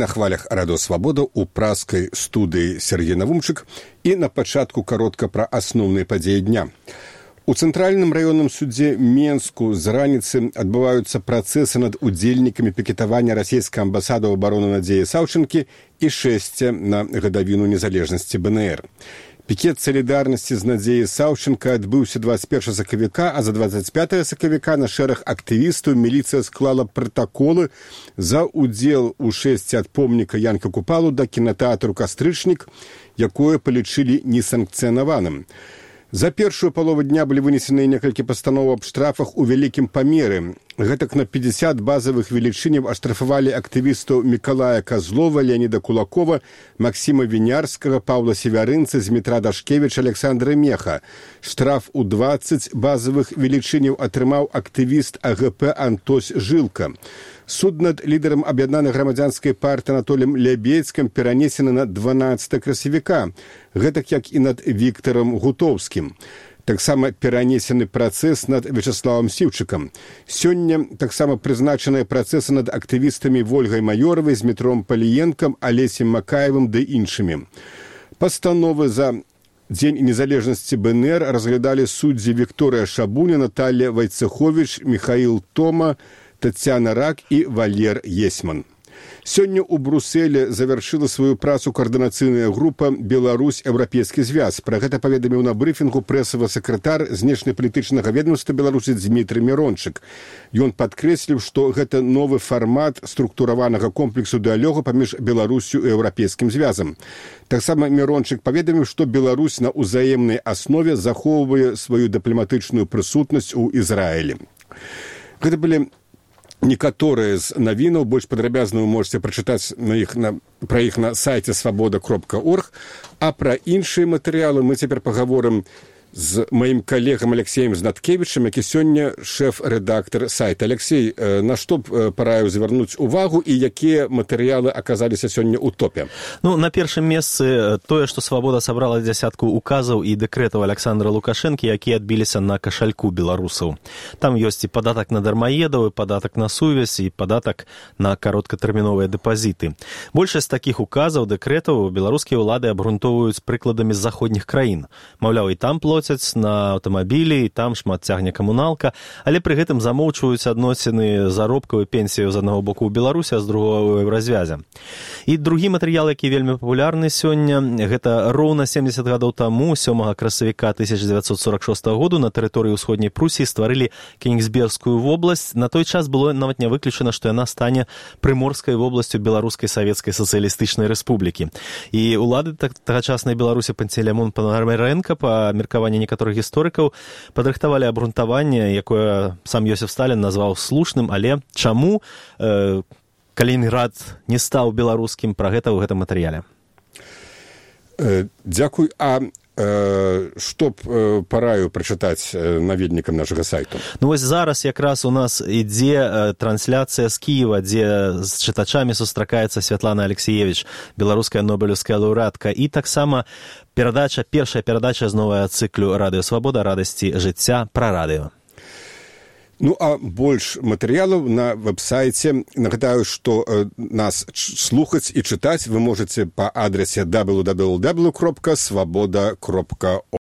на хвалях Радыё Свабода ў праскай студыі Сергей Навумчык і на пачатку каротка пра асноўныя падзеі дня. У Цэнтральным раённым судзе Менску з раніцы адбываюцца працэсы над удзельнікамі пікетавання расійскай амбасады ў абароны Надзеі Саўчынкі і шэсця на гадавіну незалежнасці БНР. Пікет салідарнасці з Надзеяй Саўчынка адбыўся 21 сакавіка, а за 25 сакавіка на шэраг актывістаў міліцыя склала пратаколы за ўдзел у шэсці ад помніка Янка Купалу да кінатэатру «Кастрычнік», якое палічылі несанкцыянаваным. За першую палову дня былі вынесены некалькі пастановаў аб штрафах у вялікім памеры. Гэтак на 50 базавых велічыняў аштрафавалі актывістаў Мікалая Казлова, Леаніда Кулакова, Максіма Вінярскага, Паўла Севярынца, Змітра Дашкевіча, Александра Меха. Штраф у 20 базавых велічыняў атрымаў актывіст АГП Антось Жылка. Суд над лідарам аб'яднанай грамадзянскай партыі Анатоліем Лябедзькім перанесены на 12 красавіка, гэтак як і над Віктарам Гутоўскім. Таксама перанесены працэс над Вячаславам Сіўчыкам. Сёння таксама прызначаныя працэсы над актывістамі Вольгай Маёравай, Змітром Паліенкам, Алесем Макаевым ды іншымі. Пастановы за Дзень незалежнасці БНР разглядалі суддзі Вікторыя Шабуня, Наталья Вайцеховіч, Михаил Тома, Тацяна Рак і Валер Есман. Сёння ў Брусэле завяршыла сваю працу каардынацыйная група «Беларусь-Еўрапейскі звяз». Пра гэта паведаміў на брыфінгу прэсавы сакратар знешнепалітычнага ведомства Беларусі Дзмітрый Мірончык. Ён падкрэсліў, што гэта новы фармат структураванага комплексу дыялогу паміж Беларусю і Еўрапейскім звязам. Таксама Мірончык паведаміў, што Беларусь на ўзаемнай аснове захоўвае сваю дыпламатычную прысутнасць у Ізраілі. Гэта былі некаторыя з навінаў, больш падрабязна вы можете прачытаць пра іх на сайце свабода.орг, а пра іншыя матэрыялы мы цяпер пагаворым з маім калегам Алексеем Знаткевічам, які сёння шэф-рэдактар сайта. Алексей, на што б параіў звярнуць увагу і якія матэрыялы аказаліся сёння ў топе? На першым месцы тое, што «Свабода» сабрала дзясятку указаў і дэкрэтаў Александра Лукашэнкі, якія адбіліся на кашальку беларусаў. Там ёсць і падатак на дармаедаў, і падатак на сувязь, і падатак на кароткатэрміновыя дэпазіты. Большасць такіх указаў, дэкрэтаў беларускія ўлады абгрунтоўваюць прыкладамі з заходніх краін. Маўляў, і там плоцяць на аўтамабілі, і там шмат цягне камуналка, але пры гэтым замоўчваюць адносіны заробкаў і пенсіяў з аднаго боку ў Беларусі, а з другого ў Еўразвязе. І другі матэрыял, які вельмі папулярны сёння, гэта роўна 70 гадоў таму, 7 красавіка 1946 году на тэрыторыі ўсходняй Прусіі стварылі Кенігсбергскую вобласць. На той час было нават не выключана, што яна стане прыморскай вобласцю Беларускай Савецкай Сацыялістычнай Рэспублікі. І ўлады тагачаснай Беларусі Пантелеймон Пономаренко па меркаванні некаторых гісторыкаў падрыхтавалі абгрунтаванне, якое сам Йосиф Сталін назваў слушным, але чаму Калінінград не стаў беларускім, пра гэта ў гэтым матэрыяле. Дзякуй. А што б параю прачытаць наведнікам нашага сайту? Вось зараз якраз у нас ідзе трансляцыя з Кіева, дзе з чытачамі сустракаецца Святлана Алексеевич, беларуская нобелеўская лаўрэатка, і таксама першая перадача з новага цыклю «Радыё Свабода. Радасці жыцця» пра радыё. А больш матэрыялаў на вэб-сайце. Нагадаю, што нас слухаць і чытаць вы можаце па адрасе www.swaboda.org.